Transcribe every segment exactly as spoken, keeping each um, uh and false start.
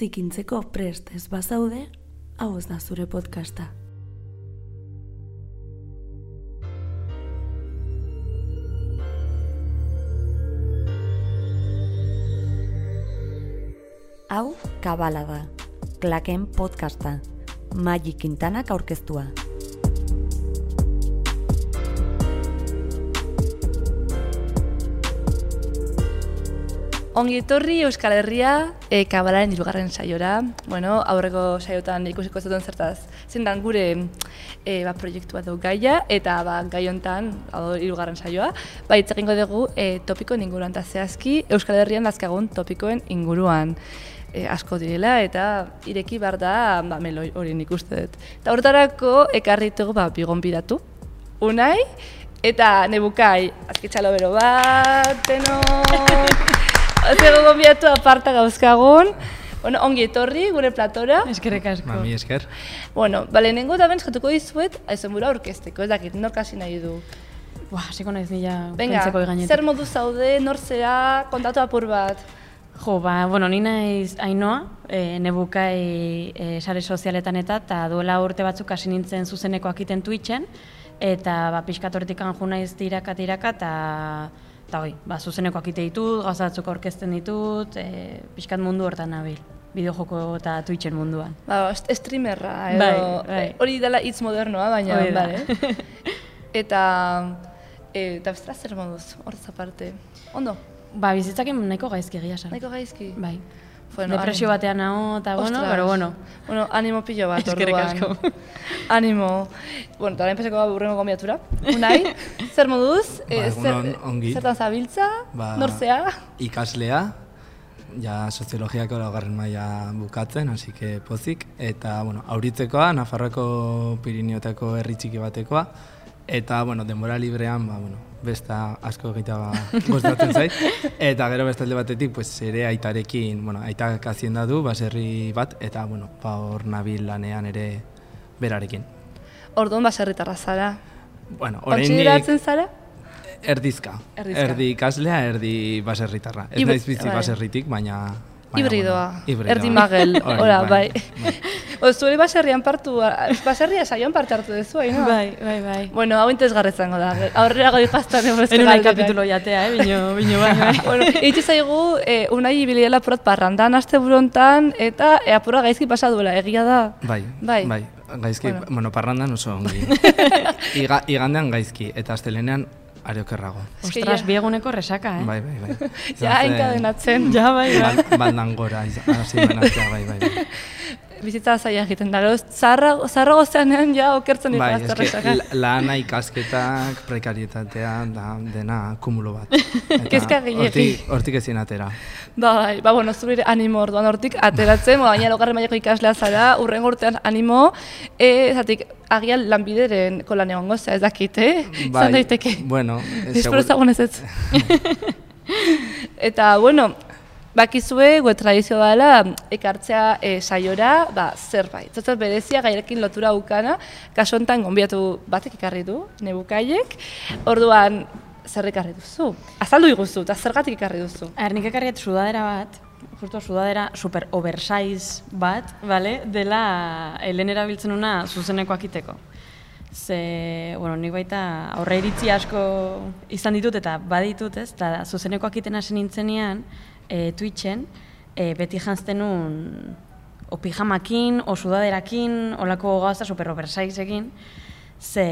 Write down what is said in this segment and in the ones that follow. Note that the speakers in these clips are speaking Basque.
zikintzeko prest ez bazaude, hau ez da zure podcasta. Hau Kabala da, Klaken podcasta, Maggi Quintanak aurkeztua. Ongi etorri Euskal Herria e, Kabalaren hirugarren saiora. Bueno, aurreko saiotan ikusiko zuten zertaz zendan gure e, ba, proiektua du gaia, eta ba, gai hontan hirugarren saioa, ba, hitz egingo dugu e, topikoen inguruan, eta zehazki Euskal Herrian dazkagun topikoen inguruan. E, asko direla eta ireki behar da ba, meloi hori nik uste dut. Eta horretarako ekarri ditugu ba, bigonbidatu. Unai eta Nebukai, azkitxalo bero bat, tenor! Zego gonbidatu aparta gauzkagun. Bueno, ongi etorri gure platora. Eskerrik asko. Mami, esker. Bueno, bale, nengo da benz jatuko dizuet, aizen bura orkesteko, ez dakit, nor kasi nahi du. Buah, hasiko naiz nila Venga, pentseko gainetik. zer modu zaude, nor zera, kontatu apur bat. Jo, ba, bueno, ni naiz Ainoa, e, Nebukai e, sare sozialetan eta, eta duela urte batzuk hasi nintzen zuzenekoak iten Twitchen, eta ba, pixkat hortik anju naiz tiraka tiraka, eta eta hoi, ba, zuzenekoak ite ditut, gauza batzuk aurkezten ditut, e, pixkat mundu hortan nabil, bideojoko eta Twitchen munduan. Ba, streamerra, edo, Bai, bai. hori dela hitz modernoa, baina, Hori da. bale. Eta, e, eta bestela zer moduz, horrez aparte. Ondo, Ba, bizitzakin nahiko gaizki egia esan. nahiko gaizki. Bai. Bueno, Depresio animo. batean nago, eta bueno, Ostras. pero bueno. Bueno, animo pilo bat, Eskerrik orduan. asko. Animo. Bueno, eta orain pasako da burrengo gonbidatura. Unai, zer moduz? Ba, egunon, ongi. Zertan zabiltza? Ba, Norzea? Ikaslea, ja soziologiako laugarren maila bukatzen, hasi que pozik. Eta, bueno, auritzekoa, Nafarroako Pirineotako herri txiki batekoa. Eta, bueno, denbora librean, ba, bueno, besta asko egitea ba, gustatzen zait. Eta gero beste alde batetik, pues, ere aitarekin, bueno, aitak hazienda du, baserri bat, eta, bueno, ba, hor nabil lanean ere berarekin. Orduan baserritarra zara. Bueno, Kontsideratzen zara? Erdizka. Erdizka. Erdi ikaslea, erdi baserritarra. Ez Hibri- naiz bizi bai. baserritik, baina... baina, Hibridoa, bueno, hibridoa. erdi magel, Hori, ora, bai. bai. O, zuere baserrian partu, baserria saioan parte hartu dezu, no? Bai, bai, bai. Bueno, hau interesgarri izango da, aurrera goi jaztan ebeste En una galderak. capítulo jatea, eh, bino, bino bai, bai. Bueno, itzi zaigu, eh, unai ibili dela purat parrandan, aste burontan, eta e, apura gaizki pasa duela, egia da. Bai, Bai. bai. Gaizki, Bueno. bueno, parrandan oso ongi. Iga, igandean gaizki, eta astelenean ariokerrago. Eske Ostras, ja. bieguneko resaka, eh? Bai, bai, bai. Ja, enkadenatzen. Ja, bai, bai. Bal, baldan gora, iz- hasi manaztea, bai, bai. bai. Bizitza zaila egiten da, gero, zaharra- zaharrago zeanean ja okertzen Bai, ikastea eske, resaka. la- lana, ikasketak, prekarietatea, da, dena kumulo bat. Eta Kezka gehiegi. Hortik, hortik ezin atera. Bai, ba, bueno, zure animo orduan hortik ateratzen, ba, gaina laugarren mailako ikaslea zara, urrengo urtean animo, e, zatik, agian lanbideren kolan egongo zea, ez dakit, eh? Zan daiteke. Bueno, Espero ezagun ez ez. Eta, bueno, bakizue, gue tradizio dela, ekartzea e, saiora, ba, zerbait. Zerbait berezia, gairekin lotura ukana, kaso honetan gonbidatu batek ekarri du, Nebukaiek, orduan, zer ekarri duzu? Azaldu iguzu, eta zergatik ekarri duzu? Er, nik ekarriet sudadera bat, justo sudadera super oversize bat, vale? Dela helen erabiltzen una zuzenekoak iteko. Ze, bueno, nik baita aurre iritzi asko izan ditut eta baditut, ez? Eta zuzenekoak iten hasi nintzenean, e, Twitchen, e, beti janzten nun o pijamakin, o sudaderakin, olako gauza super oversizeekin, ze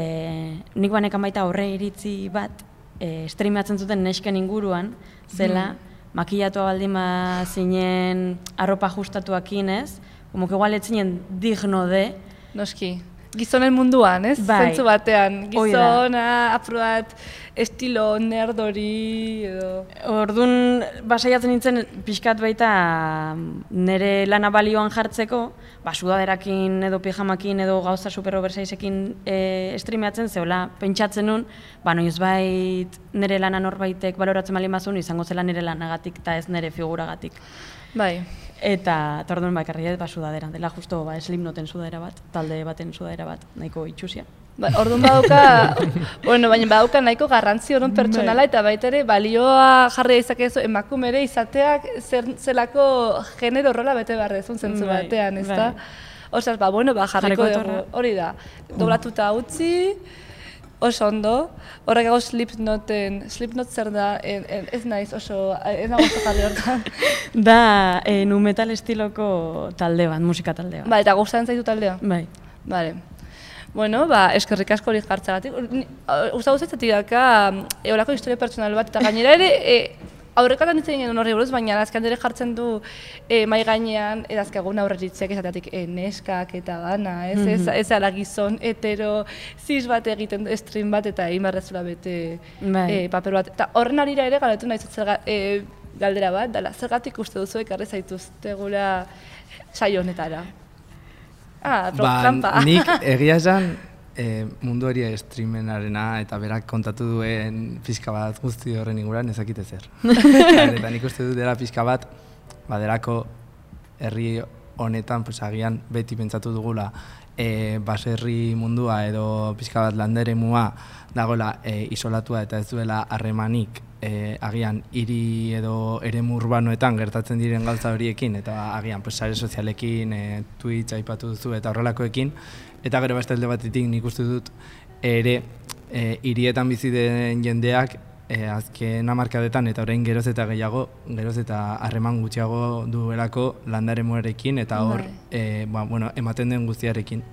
nik banekan baita aurre iritzi bat, e, streamatzen zuten nesken inguruan, zela, makillatua baldin ba zinen arropa ajustatuakin, ez? Como que igual ez zinen digno de, Noski. Gizonen munduan, ez? Bai. Zentzu batean. Hoi da. Gizona, apruat, estilo nerdori, edo... Orduan, basaiatzen nintzen pixkat baita nire lana balioan jartzeko, ba, sudaderakin edo pijamakin edo gauza super oversizeekin e, streameatzen, zehola pentsatzen nun, ba, noizbait nire lana norbaitek baloratzen baldin bazun, izango zela nire lanagatik eta ez nire figuragatik. Bai. Eta, eta orduan ba, ekarri dut ba, sudadera, dela justo ba, Slipknoten sudadera bat, talde baten sudadera bat, nahiko itxusia. Ba, orduan badauka, bueno, baina badauka nahiko garrantzi orduan pertsonala eta baita ere balioa jarri dezakezu emakumere izateak zer zelako genero rola bete behar dezun zentzu Bai, batean, ezta? bai. Osas, ba, bueno, ba, jarriko Jarriko dugu, etorra. hori da, doblatuta utzi, oso ondo, horrek hau Slipknoten, Slipknot zer da, en, en, ez naiz oso, ez nago oso jarri hortan. Da, e, nu metal estiloko talde bat, musika talde bat. Ba, eta gustatzen zaitu taldea? Bai. Vale. Bueno, ba, eskerrik asko hori jartzagatik. Gusta guztatzen daka, eolako historia pertsonal bat, eta gainera ere, e, aurrekatan ditzen genuen horri buruz, baina azken ere jartzen du e, mai gainean, edazkagun aurreritziak esateatik e, neskak eta dana, ez? Mm -hmm. Ez, ez ala gizon, hetero, cis bat egiten du, stream bat, eta imarrezula bete Bai. e, paper bat. Eta horren arira ere galatu nahi zerga, e, galdera bat, dala, zergatik uste duzu ekarri zaituztegula saio honetara? Ah, Ba, trampa. nik egia esan e, mundu hori streamenarena eta berak kontatu duen pixka bat guzti horren inguruan ezakite zer. Eta nik uste dut dela pixka bat, baderako herri honetan pues, agian beti pentsatu dugula e, baserri mundua edo pixka bat landeremua dagoela e, isolatua eta ez duela harremanik e, agian hiri edo eremu urbanoetan gertatzen diren gauza horiekin eta agian pues, sare sozialekin, e, Twitch aipatu duzu eta horrelakoekin eta gero beste alde batetik nik uste dut ere e, hirietan bizi den jendeak e, azken hamarkadetan eta orain geroz eta gehiago, geroz eta harreman gutxiago duelako landaremuarekin eta hor e, ba, bueno, ematen den guztiarekin.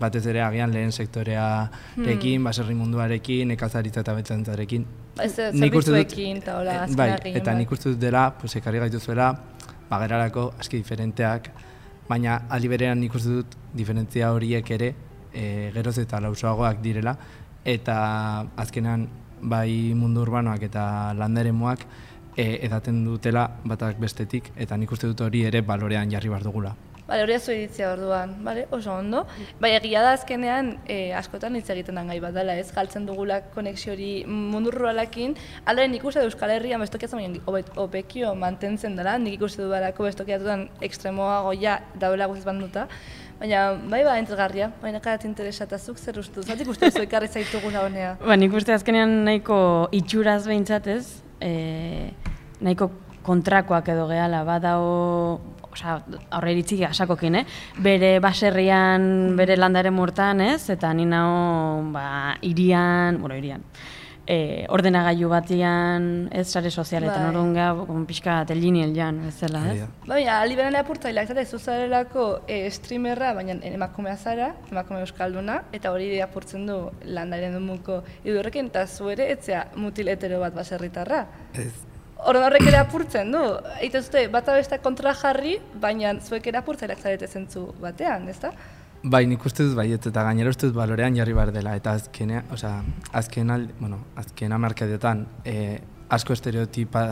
Batez ere agian lehen sektorearekin, hmm. baserri munduarekin, nekazaritza eta betxantzarekin. Ba, ez zerbitzuekin eta hola azkena bai, gehien eta bat. nik uste dut dela, pues, ekarri gaituzuela, bagerarako aski diferenteak, baina aldi berean nik uste dut diferentzia horiek ere e, geroz eta lausoagoak direla, eta azkenean bai mundu urbanoak eta landaremuak e, edaten dutela batak bestetik, eta nik uste dut hori ere balorean jarri behar dugula. Bale, hori azu iritzia orduan, bale, oso ondo. Bai, egia da azkenean e, askotan hitz egiten den gai bat dela, ez? Galtzen dugula konexio hori mundu ruralakin. Hala, nik uste du Euskal Herrian bestokiatzen baina hobekio mantentzen dela, nik ikuste dudalako bestokiatutan ekstremoago ja daudela guztiz banduta. Baina, bai, ba, entzelgarria, baina karat interesatazuk zer uste du, zatik uste duzu ekarri zaitugula honea. Ba, nik uste azkenean nahiko itxuraz behintzat ez, e, nahiko kontrakoak edo gehala, badao, osea, aurre iritzi asakokin, eh? Bere baserrian, bere landaren mortan, ez? Eta ni nao, ba, irian, bueno, irian, e, ordenagailu batian, ez, sare sozialetan, Bai. orduan ga, pixka teliniel jan, ez zela, ez? Baina, aliberan apurtzaileak, zate, zuzarelako e, streamerra, baina emakumea zara, emakume euskalduna, eta hori apurtzen du landaren dumuko idurrekin, eta zu ere, etzea mutil hetero bat baserritarra. Ez. Orduan horrek ere apurtzen du. Eite zute, bata besta kontra jarri, baina zuek ere apurtzaileak zarete zentzu batean, ezta? Bai, nik uste dut baiet, eta gainera uste dut balorean jarri behar dela, eta azkenea, osea, azken al, bueno, azken hamarkadetan e, asko estereotipa,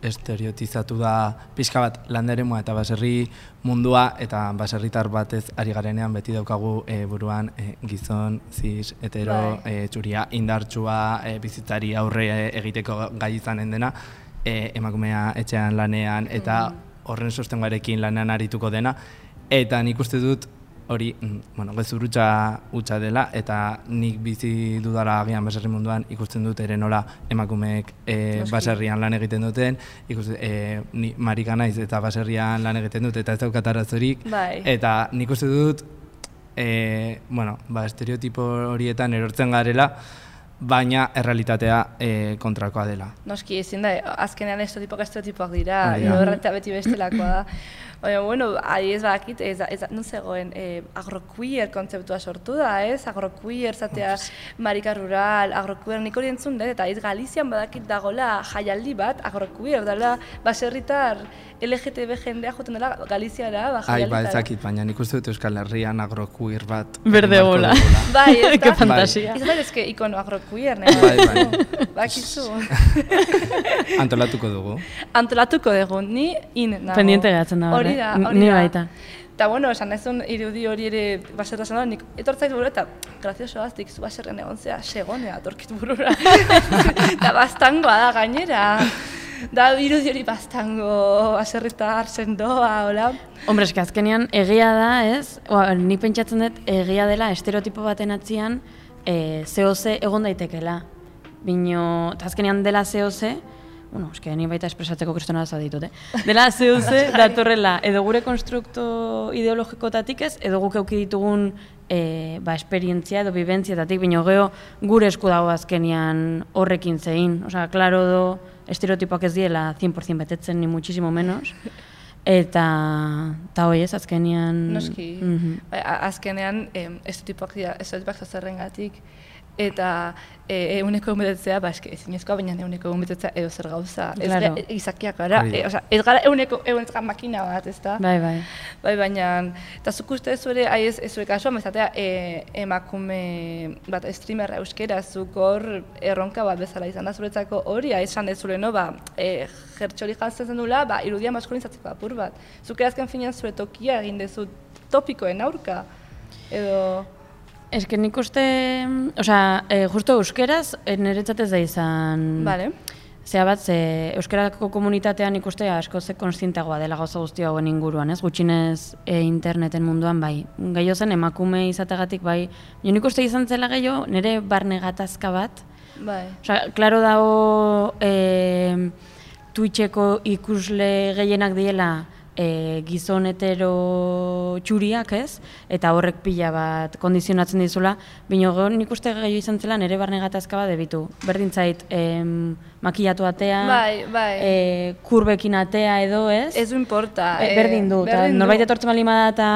estereotizatu da pixka bat landeremua eta baserri mundua, eta baserritar batez ari garenean beti daukagu e, buruan e, gizon, cis, hetero, Bai. e, txuria, indartsua, e, bizitzari aurre egiteko gai izanen dena, e, emakumea etxean lanean, eta horren sostengoarekin lanean arituko dena, eta nik uste dut hori, bueno, gezurrutza hutsa dela, eta nik bizi dudala agian baserri munduan ikusten dut ere nola emakumeek e, baserrian lan egiten duten, ikusten, e, ni marika naiz eta baserrian lan egiten dut, eta ez daukat arazorik, Bai. eta nik uste dut, e, bueno, ba, estereotipo horietan erortzen garela, baina errealitatea e, kontrakoa dela. Noski, ezin da, azkenean estereotipoak estereotipoak dira, Hori da. errealitatea beti bestelakoa da. Baina, bueno, ari ez badakit, ez, ez, non zegoen, eh, agroqueer kontzeptua sortu da, ez? Agroqueer, zatea, marika rural, agroqueer, nik hori entzun dut, eta ez Galizian badakit dagoela jaialdi bat, agroqueer, dela baserritar L G T B jendea joten dela Galiziara, ba, Ai, ba, jaialditara. ezakit, baina nik uste dut Euskal Herrian agroqueer bat. Berde egin beharko bola. dugula. Bai, ez Ke da? fantasia. Izan da, ezke ikono agroqueer, nahi. Bai, bai. Bakizu. Antolatuko dugu. Antolatuko dugu, ni in nago. Pendiente geratzen da Hori horre. da, N- hori ni da. baita. Eta, bueno, esan ezun irudi hori ere baserra zan da, nik etortzait burura eta grazioso aztik zu baserren egon zea segonea atorkit burura. Eta bastangoa da gainera. Da irudi hori bastango baserritar sendoa, hola. Hombre, eske azkenean egia da, ez? Oa, ni pentsatzen dut egia dela estereotipo baten atzian e, C O C egon daitekela. Bino, eta azkenean dela C O C, bueno, eske ni baita espresatzeko kristona da ditut, eh? Dela C O C datorrela, edo gure konstrukto ideologikotatik ez, edo guk euki ditugun e, ba, esperientzia edo bibentziatatik, bino geho gure esku dago azkenean horrekin zein. Osea, klaro do, estereotipoak ez diela cien por ciento betetzen, ni muchísimo menos. Eta, eta hoi ez, azkenean... Noski, mm -hmm. azkenean em, estereotipoak dira, estereotipoak zazerrengatik, eta e, eguneko egun betetzea, ba, eske, ezinezkoa, baina eguneko egun betetzea edo zer gauza. Claro. Ez izakiak gara, e, oza, ez gara eguneko egun ez gara makina bat, ez da? Bai, bai. Bai, baina, eta zuk uste zure, ahi ez, ez zure kasua, mezatea, e, emakume bat streamerra euskera, zuk hor erronka bat bezala izan da zuretzako hori, esan ez zure, no, ba, e, jertxori jantzen zen dula, ba, irudia maskulinizatzeko apur bat. Zuk azken finean zure tokia egin dezu topikoen aurka, edo... Ez que nik uste, osea, e, justo euskeraz niretzat da izan... Vale. Zea bat, ze euskerako komunitatean ikuste asko ze konstienteagoa dela gauza guzti hauen inguruan, ez? Gutxinez e, interneten munduan, bai. Gehiago zen emakume izategatik, bai. Jo nik uste izan zela gehiago, nire barne gatazka bat. Bai. Osea, klaro dago e, Twitcheko ikusle gehienak diela e, gizon hetero txuriak, ez? Eta horrek pila bat kondizionatzen dizula, bino nik uste gehiago izan zela nire barne gatazka bat debitu. Berdin zait, em, makillatu atea, bai, bai. E, kurbekin atea edo, ez? Ez du importa. E, berdin du, eta norbait etortzen bali bada eta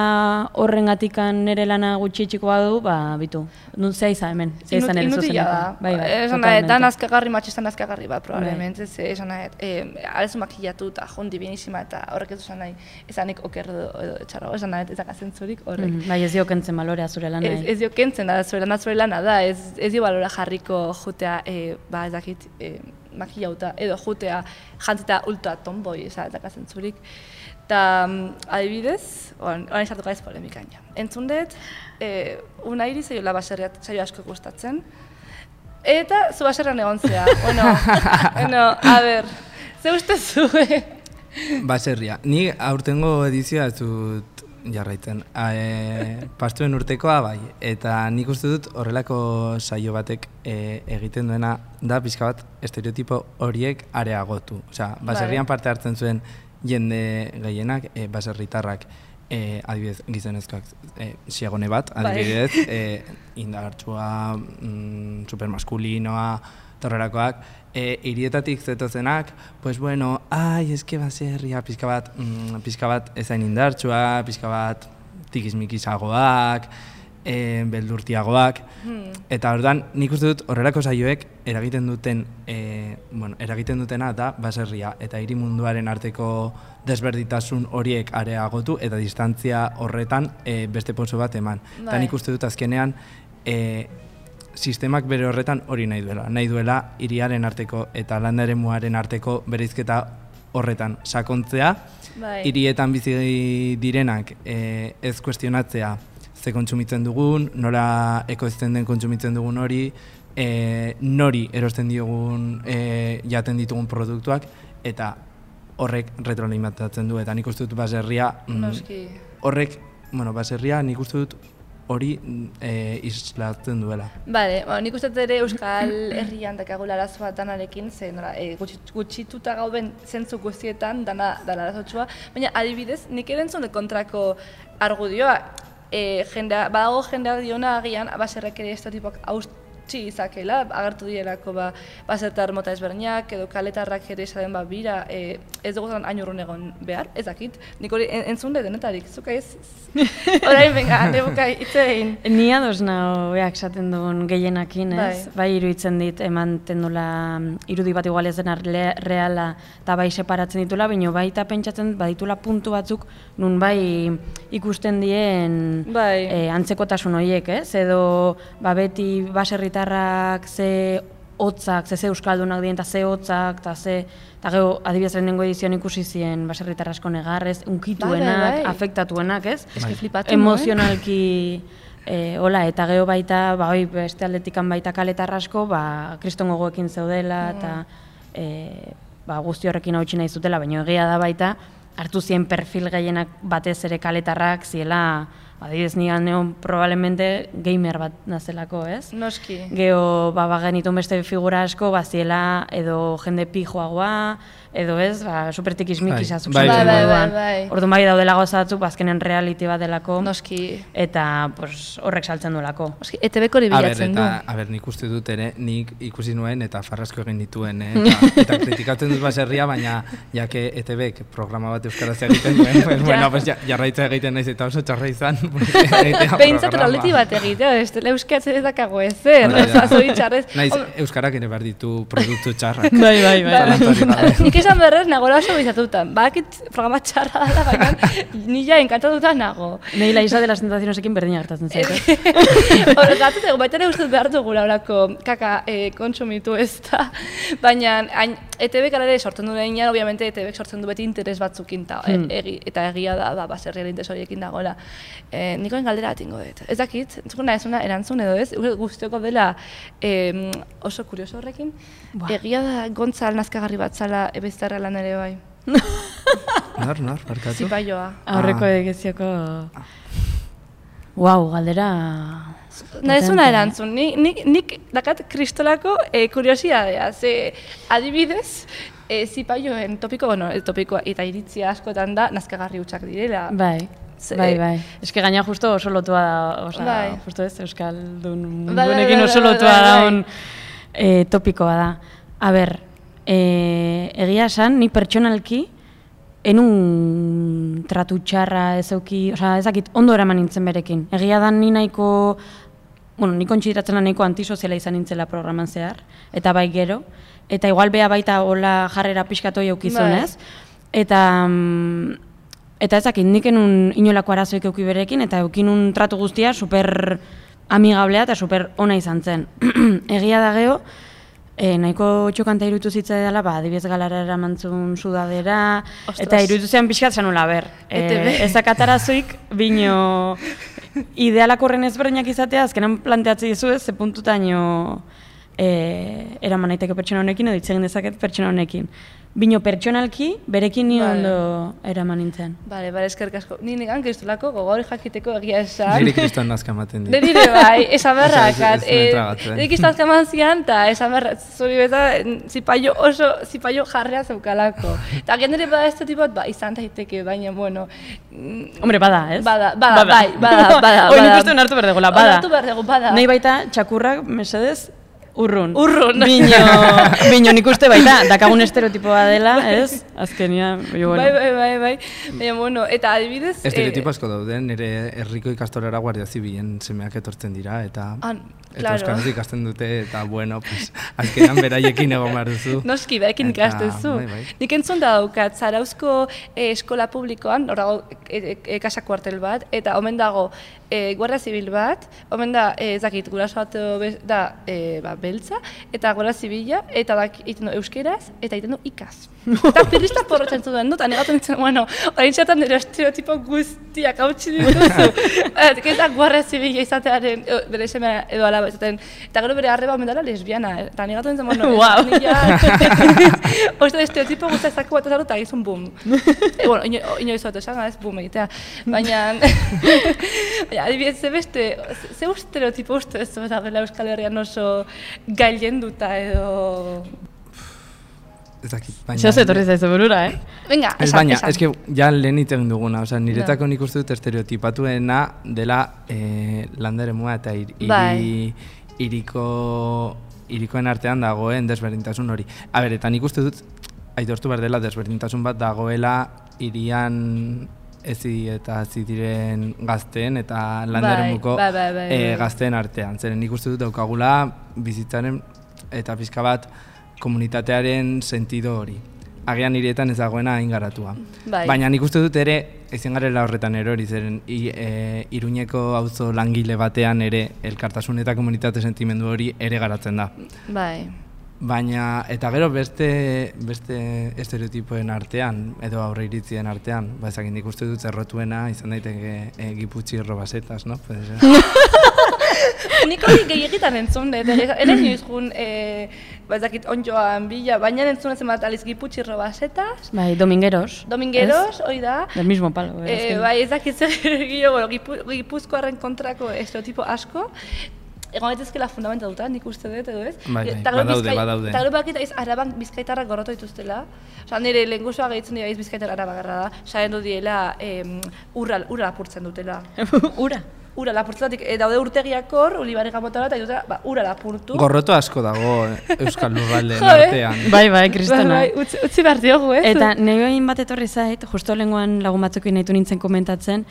horren gatikan nire lana gutxi txiko badu, ba, bitu. Nun zea izan hemen, zea izan ere Inutila da. Bai, bai, esan nahet, dan azkagarri, matxistan azkagarri bat, probablemente. Bai. Esan nahet, e, arezu makillatu eta jondi bienísima eta horrek ez duzen nahi, esanik oker edo etxarrago, esan nahet, ezak azentzurik horrek. Mm -hmm. Bai, ez dio kentzen balorea zure lana. Ez, ez dio kentzen da, zure lana zure lana da, ez, ez dio balora jarriko jutea, e, ba, ez dakit, e, makillauta, edo jutea jantzita ultra tomboi, ezak azentzurik. Eta, adibidez, orain sartu gaiz polemikan ja. Entzun dut, e, unairi zaiola baserriat saio asko gustatzen, eta zu baserrian egon zea. bueno, bueno, a ber, ze uste zue? Baserria. Ni aurtengo edizioa ez dut jarraitzen. E, pastuen urtekoa bai, eta nik uste dut horrelako saio batek e, egiten duena da pixka bat estereotipo horiek areagotu. Osea, baserrian parte hartzen zuen jende gehienak, e, baserritarrak, e, adibidez gizonezkoak, e, siagone bat, adibidez, e, indartsua, mm, supermaskulinoa, torrerakoak, e, hirietatik zetozenak, pues bueno, ai, eske baserria, pixka bat, mm, pixka bat ezain indartsua, pixka bat tikismikisagoak, e, beldurtiagoak, hmm. eta ordan nik uste dut horrelako saioek eragiten duten, e, bueno, eragiten dutena da baserria eta hiri munduaren arteko desberditasun horiek areagotu eta distantzia horretan e, beste pauso bat eman. Eta nik uste dut azkenean e, sistemak bere horretan hori nahi duela. Nahi duela hiriaren arteko eta landa eremuaren arteko bereizketa horretan sakontzea, bai. Hirietan bizi direnak e, ez kuestionatzea ze kontsumitzen dugun, nola ekoizten den kontsumitzen dugun hori, e, nori erosten diogun e, jaten ditugun produktuak, eta horrek retroalimentatzen du, eta nik uste dut baserria, Noski. horrek, bueno, baserria nik uste dut hori e, islatzen duela. Bale, bueno, nik uste dut ere Euskal Herrian dakagula arazo bat danarekin, ze nora, e, gutxituta gauden zentzu guztietan dana, dana arazotxua, baina adibidez, nik erentzun kontrako argudioa, E, jendea, badago jendeak diona agian baserrak ere estereotipoak hautsi izakela, agertu direlako ba, basertar mota ezberdinak edo kaletarrak ere esaten ba bira, e, ez dugu zan hain urrun egon behar, ez dakit, nik hori en, entzun dut denetarik, zuka ez? Orain, venga, nebuka hitze egin. Ni ados nago beak esaten duen gehienakin, ez? Bai, bai iruditzen dit, emanten dula irudi bat igual ez dena reala eta bai separatzen ditula, baina baita pentsatzen baditula puntu batzuk nun bai ikusten dien bai. E, antzekotasun horiek, ez? Edo ba, beti baserritarrak ze hotzak, ze ze euskaldunak dien, eta ze hotzak, eta ze... Eta gero, adibidez lehenengo edizioan ikusi zien baserritar asko negarrez, unkituenak, bai, bai. afektatuenak, ez? Eske flipatu, emozionalki, e, hola, eta gero baita, ba, oi, beste aldetikan baita kaletar asko, ba, kriston gogoekin zeudela, eta e, ba, guzti horrekin hautsi nahi zutela, baina egia da baita, hartu zien perfil gehienak batez ere kaletarrak ziela adibidez nigan neon probablemente gamer bat nazelako, ez? Noski. Geo, ba, bagenitun beste figura asko, baziela, edo jende pijoagoa, edo ez, ba, supertikismikisa Bai, zuzen bai, bai, moduan. bai, bai. Orduan bai daudela gozatzuk, bazkenen reality bat delako, Noski. eta pues, horrek saltzen duelako. Noski, E T Bek hori A ber, bilatzen du. eta, a ber, nik uste dut ere, nik ikusi nuen eta farrasko egin dituen, eh? eta, eta kritikatzen dut baserria, baina jake E T Bek programa bat euskaraz egiten duen, pues, bueno, pues, ja, jarraitza egiten naiz eta oso txarra izan. Behintzat reality bat egitea, ez dela euskatzen ez dakago ezer, Hori da. zoritxarrez. Naiz, euskarak ere behar ditu produktu txarrak. Bai, bai, bai. Zalantzarik gabe. Nik esan berrez, nagora oso bizatutan. Bakit programa txarra dela, baina nila enkantatuta nago. Nei la isla de las tentacionesekin berdina gertatzen zait, eh? Horregatzen dugu, baita ere uste behar dugula horako kaka eh, kontsumitu ez da. Baina hain, E T Bek ere sortzen du denean, obviamente E T Bek sortzen du beti interes batzukin, ta, Hmm. egi, eta egia da, ba, baserriaren interes horiekin dagoela. E, nikoen galdera atingo dut. Ez dakit, entzuna ez una erantzun edo ez, guztioko dela e, oso kurioso horrekin. Buah. Egia da gontzal nazkagarri bat zala ebeztarra lan ere bai. Nor, nor, barkatu? Zipaioa. Aurreko Ah. egizioko... Wow, galdera... Nahi zuna erantzun, nik, nik, nik dakat kristolako e, kuriosidadea, ze adibidez, e, zipaioen topiko, bueno, topikoa eta iritzia askotan da, nazkagarri hutsak direla. Bai, Ze- bai, bai. Eske gaina justo oso lotua da, oza, Bai. justo ez, Euskaldun Bai, bai, mundunekin bai, oso bai, lotua bai, bai. daun e, topikoa da. A ber, e, egia esan, ni pertsonalki, enun tratu txarra ez euki, oza, ezakit, ondo eraman nintzen berekin. Egia da ni nahiko, bueno, ni kontsideratzen nahiko antisoziala izan nintzela programan zehar, eta bai gero, eta igual bea baita hola jarrera pixkatoi eukizun, Bai. ez? Eta, mm, eta ezakit, nik enun inolako arazoik euki berekin, eta eukinun tratu guztia super amigablea eta super ona izan zen. Egia da geho, E, nahiko txokanta iruditu zitzai dela, ba, adibidez galara eramantzun sudadera, Ostras. eta iruditu zean pixkat zanula, ber. E T B. E, ezakatarazuik, bino idealak horren ezberdinak izatea, azkenan planteatzen dizu ez, ze puntutaino e, eraman naiteke pertsona honekin, edo hitz egin dezaket pertsona honekin. Bino pertsonalki, berekin ni Vale. ondo eraman nintzen. Bale, bale, eskerrik asko. Ni negan kristolako gogor jakiteko egia esan. Niri kriston nazka ematen dit. Nire bai, esan berrak. Osea, ez- ez duen tragatzen. Nire kriston eman zian, eta esan berrak, zuri beta, zipaio oso, zipaio jarrea zeukalako. Eta agian ere bada ez bat, ba, izan daiteke, baina, bueno... mm, Hombre, bada, ez? Bada, bada, bai, bada, bada. Hoi, nik bada. uste hartu berdegola, bada. Onartu behar dugu, bada. Nahi baita, txakurrak, mesedez, urrun. Urrun. Bino, bino nik uste baita, dakagun estereotipoa dela, ez? Azkenian, bino, bueno. Bai, bai, bai, bai. Baina, bueno, eta adibidez... Estereotipo asko dauden, nire herriko ikastorera guardia zibilen semeak etortzen dira, eta, Ah, eta claro. euskaraz ikasten dute, eta bueno, pues, azkenan beraiekin egon behar duzu. Noski, beekin Eta, ikastezu. bai, bai. Nik entzun da daukat, Zarauzko eh, eskola publikoan, hor dago e, e, kasa kuartel bat, eta omen dago e, guardia zibil bat, omen da, e, ez dakit, guraso bat eh, da e, ba, beltza, eta guardia zibila, eta da, egiten du euskeraz, eta egiten du ikaz. Eta pirista porrotzen zuen dut, anegatzen ditzen, bueno, orain txatan nire estereotipo guztiak hautsi dituzu. Eta guardia zibila izatearen, e, bere semea edo alaba izaten, eta gero bere arreba omen dela lesbiana, eh? Eta anegatzen ditzen, bueno, Guau. nila, oste estereotipo guztiak zako bat ezartu, eta gizun boom. E, bueno, ino, inoiz bat esan, ez boom egitea. Baina, baina, adibidez, ze beste, ze, ze estereotipo uste ez da dela Euskal Herrian oso gailenduta edo... Ez dakit, baina... Zeo zetorri zaizu burura, eh? Venga, Ez esan, baina, esan. eske ja lehen hitz egin duguna, osea, niretako nik uste dut estereotipatuena dela eh, landaremua eta ir, iri, Bai. iriko, irikoen artean dagoen desberdintasun hori. A ber, eta nik uste dut, aitortu behar dela desberdintasun bat dagoela irian ezi eta hazi diren gazteen eta landaremuko bai, bai, bai, eh, bai. gazteen artean. Zeren nik uste dut daukagula bizitzaren eta pixka bat komunitatearen sentido hori. Agian nirietan ez dagoena hain garatua. Bai. Baina nik uste dut ere, ezin garela horretan erori, zeren i, e, Iruñeko auzo langile batean ere elkartasun eta komunitate sentimendu hori ere garatzen da. Bai. Baina, eta gero beste, beste estereotipoen artean, edo aurre iritzien artean, ba ezakit nik uste dut zerrotuena izan daiteke e, Giputxi robasetas, no? Puede ser. Nik hori gehiagitan entzun, eta ere nioiz jun, ba ez dakit onjoan bila, baina entzun ezen bat aliz giputxirro basetaz. Bai, domingueros. Domingueros, hori da. Del mismo palo. Eh, bai, ez dakit zer gio, bueno, gipuzkoarren kontrako estereotipo asko. Egon daitezkela fundamenta duta, nik uste dut, edo ez? Bai, bai, badaude, badaude. Eta gero bakita iz araban bizkaitarrak gorroto dituztela. Osa, nire lehengusua gehitzen dira iz bizkaitar arabagarra da. Saen du diela ura lapurtzen dutela. Ura? Ura lapurtzen dut, daude urtegiak hor, Ulibare Gamotara, eta dutela, ura lapurtu. Gorroto asko dago Euskal Lurraldeen artean. Bai, bai, kristona. Bai, utzi behar diogu, ez? Eta nire egin bat etorri zait, justo lenguan lagun batzukin nahitu nintzen komentatzen,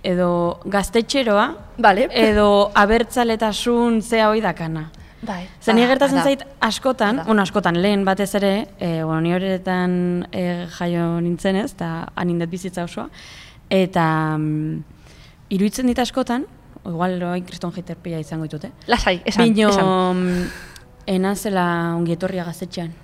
edo gaztetxeroa, vale. Edo abertzaletasun zea hoi dakana. Bai. Zer nire gertatzen zait askotan, bueno, askotan lehen batez ere, e, bueno, nire horretan e, jaio nintzen ez, eta anindet bizitza osoa, eta mm, iruditzen dit askotan, igual loain kriston jiterpia izango ditute. Lasai, esan, Bino, esan. enazela ongietorria gaztetxean.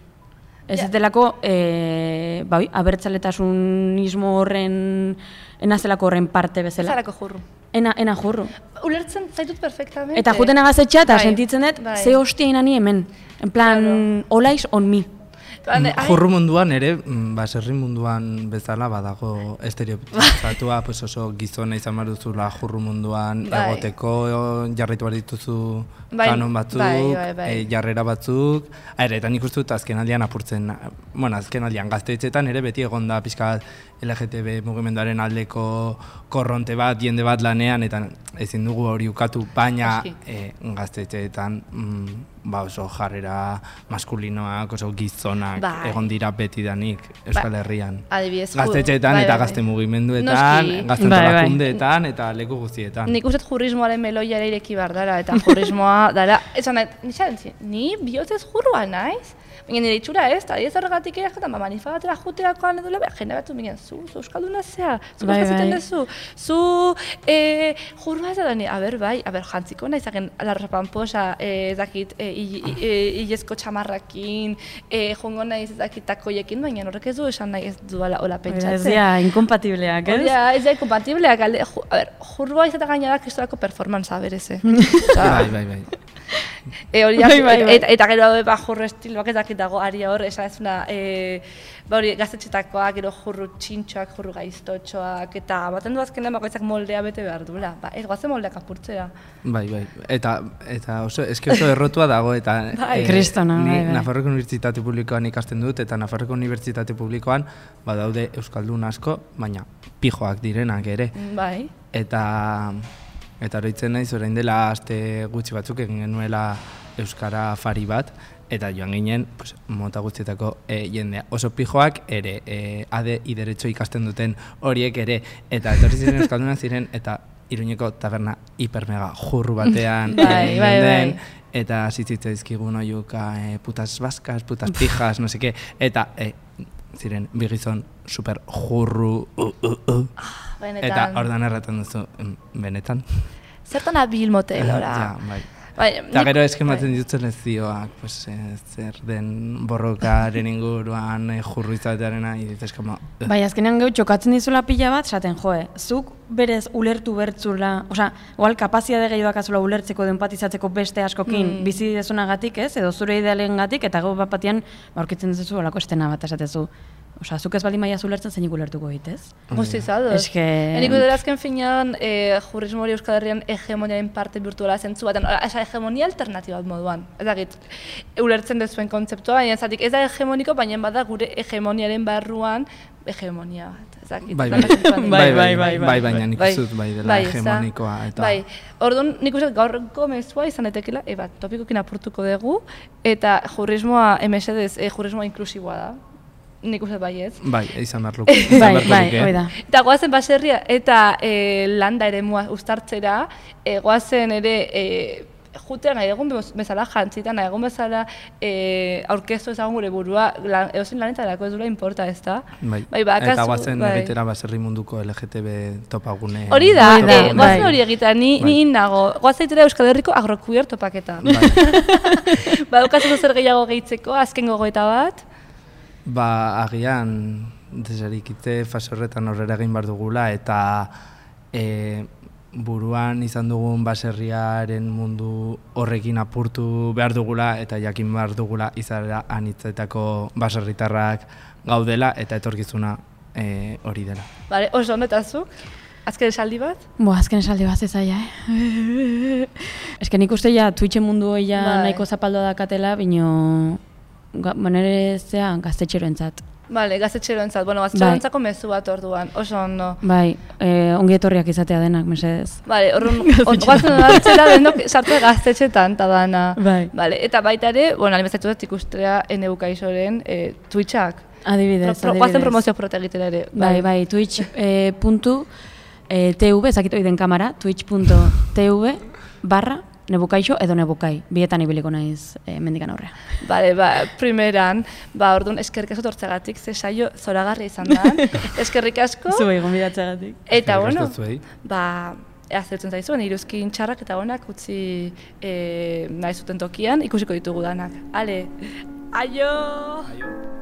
Ez yeah. Delako, e, bai, abertzaletasunismo horren, enazelako horren parte bezala. Ezarako jurru. Ena, ena jurru. Ulertzen zaitut perfectamente. Eta juten agazetxea eta bai, sentitzen dut, bai. Ze hostia inani hemen. En plan, claro. Olaiz on mi. Jurru munduan ere, baserri munduan bezala badago estereotipatua, pues oso gizona izan behar duzula jurru munduan bai. Egoteko jarraitu behar dituzu bai. Kanon batzuk, bai, bai, bai. E, jarrera batzuk. Aire, eta nik uste dut azken aldian apurtzen, bueno, azken aldian gaztetxetan ere beti egon da pixka L G T B mugimenduaren aldeko korronte bat, jende bat lanean, eta ezin dugu hori ukatu, baina e, gaztetxeetan mm, ba oso jarrera maskulinoak, oso gizonak bai. Egon dira beti danik Euskal ba. Herrian. Adibidez, gaztetxeetan bai, eta bai. Gazte mugimenduetan, gazte antolakundeetan bai, bai. Eta leku guztietan. Nik uste jurrismoaren meloia ere ireki behar dara, eta jurrismoa dara, esan nahi, ni bihotzez jurrua naiz? Baina nire itxura ez, eta ez horregatik ere jaten, ba, manifagatera juterakoan edo lebe, jende batzu bingen, zu, zu euskalduna zea, zu bai, bai. Dezu, zu e, jurua ez da, a ber, bai, a ber, jantziko nahi zagen larra pamposa, ez dakit, hilezko txamarrakin, jongo nahi ez dakit takoiekin, baina horrek ez du esan nahi ez duela hola pentsatzen. Ez dira, inkompatibleak, ez? Ja, ez dira, inkompatibleak, a ber, jurua ez da gaina da kristorako performanza, bereze. Bai, bai, bai. E, hori, bai, bai, bai. Eta, eta gero ba, jurru estiloak ez dakit dago aria hor, esan ez una, e, ba hori gaztetxetakoak, gero jurru txintxoak, jurru gaiztotxoak, eta baten du azkenean bakoitzak moldea bete behar duela. Ba, ez goazen moldeak apurtzea. Bai, bai, eta, eta oso, eski oso errotua dago, eta bai. E, Kristona, ni bai, bai. Nafarroko Unibertsitate Publikoan ikasten dut, eta Nafarroko Unibertsitate Publikoan badaude euskaldun asko, baina pijoak direnak ere. Bai. Eta... Eta horitzen naiz, orain dela aste gutxi batzuk egin genuela euskara afari bat, eta joan ginen pues, mota gutxietako e, jendea. Oso pijoak ere, e, ade ideretxo ikasten duten horiek ere, eta etorri ziren euskaldunak ziren, eta Iruñeko taberna hipermega jurru batean bai, bai, bai. Eta zitzitza izkigun oiuka e, putas baskas, putas pijas, no seke, eta e, ziren bigizon super jurru, uh, uh, uh. Benetan. Eta ordan erraten duzu, benetan. Zertan abil motelora. Ja, bai. Bai, eta gero eskematzen bai. Ditzen lezioak, pues, eh, zer den borrokaren inguruan, eh, jurru izatearena, iditz eskama... Bai, azkenean gau txokatzen dizula pila bat, esaten joe, zuk berez ulertu bertzula, osea, igual kapazitate gehiagoak azula ulertzeko, empatizatzeko beste askokin mm. bizi dezunagatik, ez, edo zure idealengatik, eta gau bat batean, aurkitzen duzu olako estena bat esatezu. Osea, zuk ez baldin maia ulertzen zeinik ulertuko egitez. Guztiz ados. Eske... Enik dut azken finean, e, jurrismo hori Euskal Herrian hegemoniaren parte virtuala zentzu baten, esa hegemonia alternatiba moduan. Ez dakit, ulertzen dezuen kontzeptua, baina zatik ez da hegemoniko, baina bada gure hegemoniaren barruan hegemonia bat. Ez dakit. Bai, bai, bai, bai, bai, bai, baina nik uzut bai dela hegemonikoa. Eta... Bai, orduan nik uzut gaurko mezua izan etekela, eba, topikokin apurtuko dugu, eta jurrismoa, emesedez, e, jurrismoa inklusiboa da. Nik uste bai ez. Bai, izan behar luke. Bai, bai, hoi da. Eta goazen baserria eta e, landa ere mua uztartzera, e, goazen ere e, jutea nahi egun bezala jantzita, nahi egun bezala e, aurkeztu ezagun gure burua, lan, eozin lanetarako ez dula importa ez da. Bai, bai bakazu, eta goazen bai. egitera baserri munduko L G T B topagune. Hori da, bai, e, goazen bai. hori egita, ni, bai. Ni nago. Goazen egitera Euskal Herriko agrokuier topaketa. Bai. Ba, daukazuko zer gehiago gehitzeko, azken gogoeta bat. Ba, agian, desarikite fase horretan horrela egin behar dugula, eta e, buruan izan dugun baserriaren mundu horrekin apurtu behar dugula eta jakin behar dugula izaera anitzetako baserritarrak gaudela eta etorkizuna e, hori dela. Bale, oso ondo eta zuk? Azken esaldi bat? Bo, azken esaldi bat ez zaila, eh? Ez que nik uste ja Twitchen mundu hori ja Bai. nahiko zapaldoa dakatela, bino manere zea gaztetxeroentzat. Bale, gaztetxeroentzat. Bueno, gaztetxeroentzako mezu bat orduan, oso ondo. Bai, eh, ongi etorriak izatea denak, mesedez. Bale, orduan, oazen hartzera denok sartzea gaztetxetan eta dana. Bai. Bale, eta baita ere, bueno, alimezatu dut ikustea Ene Bukaizoren eh, Twitchak. Adibidez, Pro, pro, adibidez. Guazen promozio protegitera ere. Bai, bai, Twitch eh, puntu eh, tv, ezakit hori den kamera, twitch puntu tv barra Nebukaixo edo Nebukai, bietan ibiliko naiz eh, mendikan aurrea. Bale, ba, primeran, ba, orduan eskerrik asko tortzegatik, ze saio zoragarria izan da. Eskerrik asko. Zuei gonbidatzeagatik. Eta, Eskerrik asko bueno, zuei. ba, aztertzen zaizuen, iruzkin txarrak eta honak utzi e, nahi zuten tokian, ikusiko ditugu danak. Ale, aio! Aio.